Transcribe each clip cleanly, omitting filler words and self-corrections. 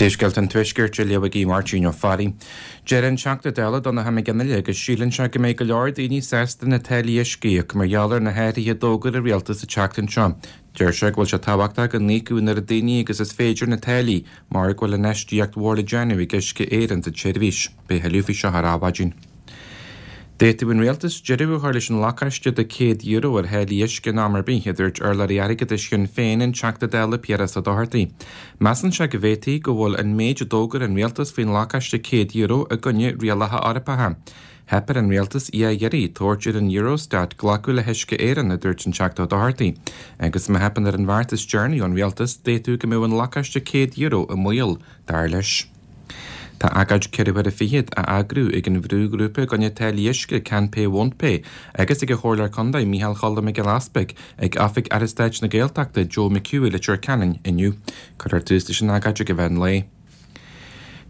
Príomhscéalta an Tuaiscirt á léamh ag Máirtín Ó Fearraigh. Deir an Teachta Dála Donncha Mac Fhionnghaile go síleann sé go mbeidh go leor daoine sásta na táillí uisce a íoc mar gheall ar na hathruithe a d'fhógair an Rialtas an tseachtain seo. Deir sé go bhfuil sé tábhachtach go n-íocfadh an oiread daoine agus is féidir na táillí mar go bhfuil infheistíocht mhór le déanamh ag Uisce Éireann sa tseirbhís. Beidh tuilleadh faoi seo ar Adhmhaidin. D'fhéadfadh an Rialtas deireadh a chur leis an lacáiste de €100 ar tháillí uisce in am ar bith, a dúirt urlabhraí airgeadais Shinn Féin, an Teachta Dála Piaras Ó Dochartaigh. Measann sé go bhféadfaí go bhfuil an méid a d'fhógair an Rialtas faoin lacáiste €100 i gcoinne rialacha Eorpacha. Theip ar an Rialtas dhá iarraidh tabhairt ar an Eurostat glacadh le hUisce Éireann, a dúirt an Teachta Ó Dochartaigh. Agus má theipeann ar an bheart is deireanaí ón Rialtas, d'fhéadfadh go mbeadh an lacáiste €100 i mbaol, dar leis. Tá agóid 4 huaire fichead á eagrú ag an bhrúghrúpa i gcoinne táillí uisce Can Pay Won't Pay agus ag an Chomhairleoir Contae Micheál Cholm Mac Giolla Easpaig ag oifig Aire Stáit na Gaeltachta Joe McHugh i Leitir Ceanainn inniu. Cuirfear tús leis an agóid ag an mheán lae.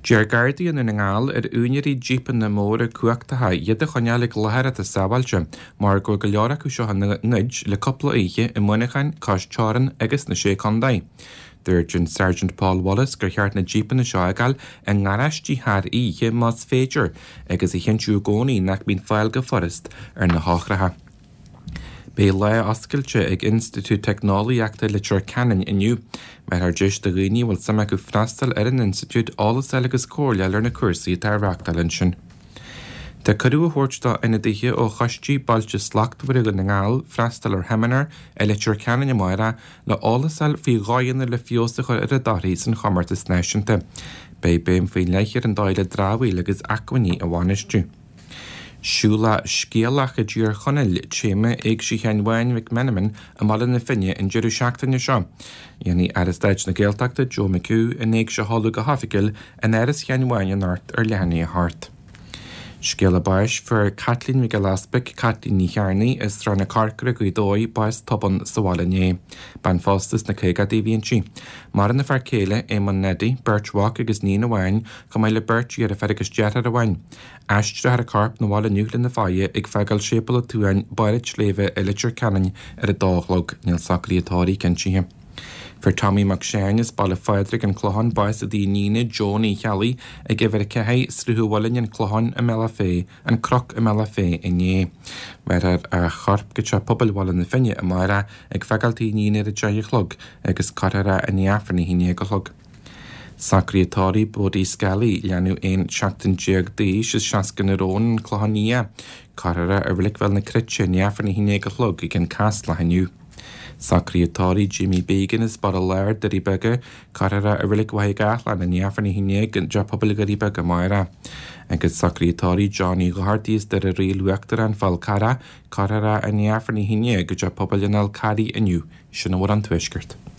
D'iarr Gardaí i nDún na nGall ar úinéirí jípeanna móra cumhachtacha iad a choinneáil ag láthair atá sábháilte mar go bhfuil go leor acu seo á ngoid le cúpla oíche i Muineachán, cois teorann agus sna Sé Contae. Dúirt an Sergeant Paul Wallace gur cheart na jípeanna seo a fhágáil i ngaráistí thar oíche más féidir agus a chinntiú i gcónaí nach mbíonn fáil go furast ar na heochracha. Beidh lá oscailte ag Institiúid Teicneolaíochta Leitir Ceanainn inniu. Bhéarfar deis do dhaoine a bhfuil suim acu freastal ar an institiúid eolas a fháil agus comhairle a fháil ar na cúrsaí atá á reáchtáil ansin. Tá cuireadh á thabhairt do ionadaithe ó Choistí Bailte Slachtmhara Dhún na nGall freastal ar sheimineár i Leitir Ceanainn amárach le eolas a fháil faoi dhóigheanna le feabhas a chur ar a dtorthaí san chomórtas náisiúnta. Beidh béim faoi leith ar an dóigh le dramhaíl agus acmhainní a bhainistiú. Siúlach Scéalach i dTír Chonaill, téama Éigse Sheáin Bháin Mhic Meanman i mBaile na Finne an deireadh seachtaine seo. Dhéanfaidh Aire Stáit na Gaeltachta Joe McHugh an éigse a sheoladh go hoifigiúil in Áras Sheáin Bháin anocht ar leath i ndiaidh a hocht. Scéala báis, Fuair Caitlín Mhic Giolla Easpaig, Caitlín Ní Chearnaigh, as Srath na Corcra, Gaoth Dobhair, bás tobann sa bhaile inné. Bean phósta sna caogaidí a bhí inti. Maireann a fear céile, Éamonn Neidí, beirt mhac agus níon amháin, chomh maith le beirt dheirféar agus deartháir amháin. Aistreofar a corp 'na bhaile inniu lena faire ag fágáil Séipéal an tSuain, Barr an tSléibhe i Leitir Ceanainn ar a dó a chlog. Níl socruithe tórraimh cinntithe. Fuair Tommy Mac Seáin as Baile Phádraig, An Clochán, bás i dtigh a iníne, Joan Uí Cheallaigh, ag uimhir 4, Sruth an Mhuilinn, An Clochán, i mBealach Féich, An Cnoc i mBealach Féich inné. Bhéarfar a chorp go Teach Pobail Bhaile na Finne amárach ag fágáil tigh a iníne ar a 10 a chlog agus cuirfear é i ndiaidh Aifreann a 11 a chlog. Socruithe tórraimh Bodie Scally, leanbh 11 seachtain d'aois as 60 na Rón, An Clochán Liath. Cuirfear é i Reilig Bhéal na Cruite i ndiaidh Aifreann a 11 a chlog ag an Caslach inniu. Socruithe tórraimh Jamie Began as Baile Láir, Doirí Beaga, cuirfear é i Reilig Mhachaire Gathlán i ndiaidh Aifreann a 11 i dTeach Pobail Dhoirí Beaga amárach. Agus socruithe tórraimh Johnny Dhochartaigh as Doire Raoil Uachtarach, An Fál Carrach, cuirfear é i ndiaidh Aifreann a 11 i dTeach Pobail an Fháil Carraigh inniu. Sin a bhfuil ón Tuaisceart.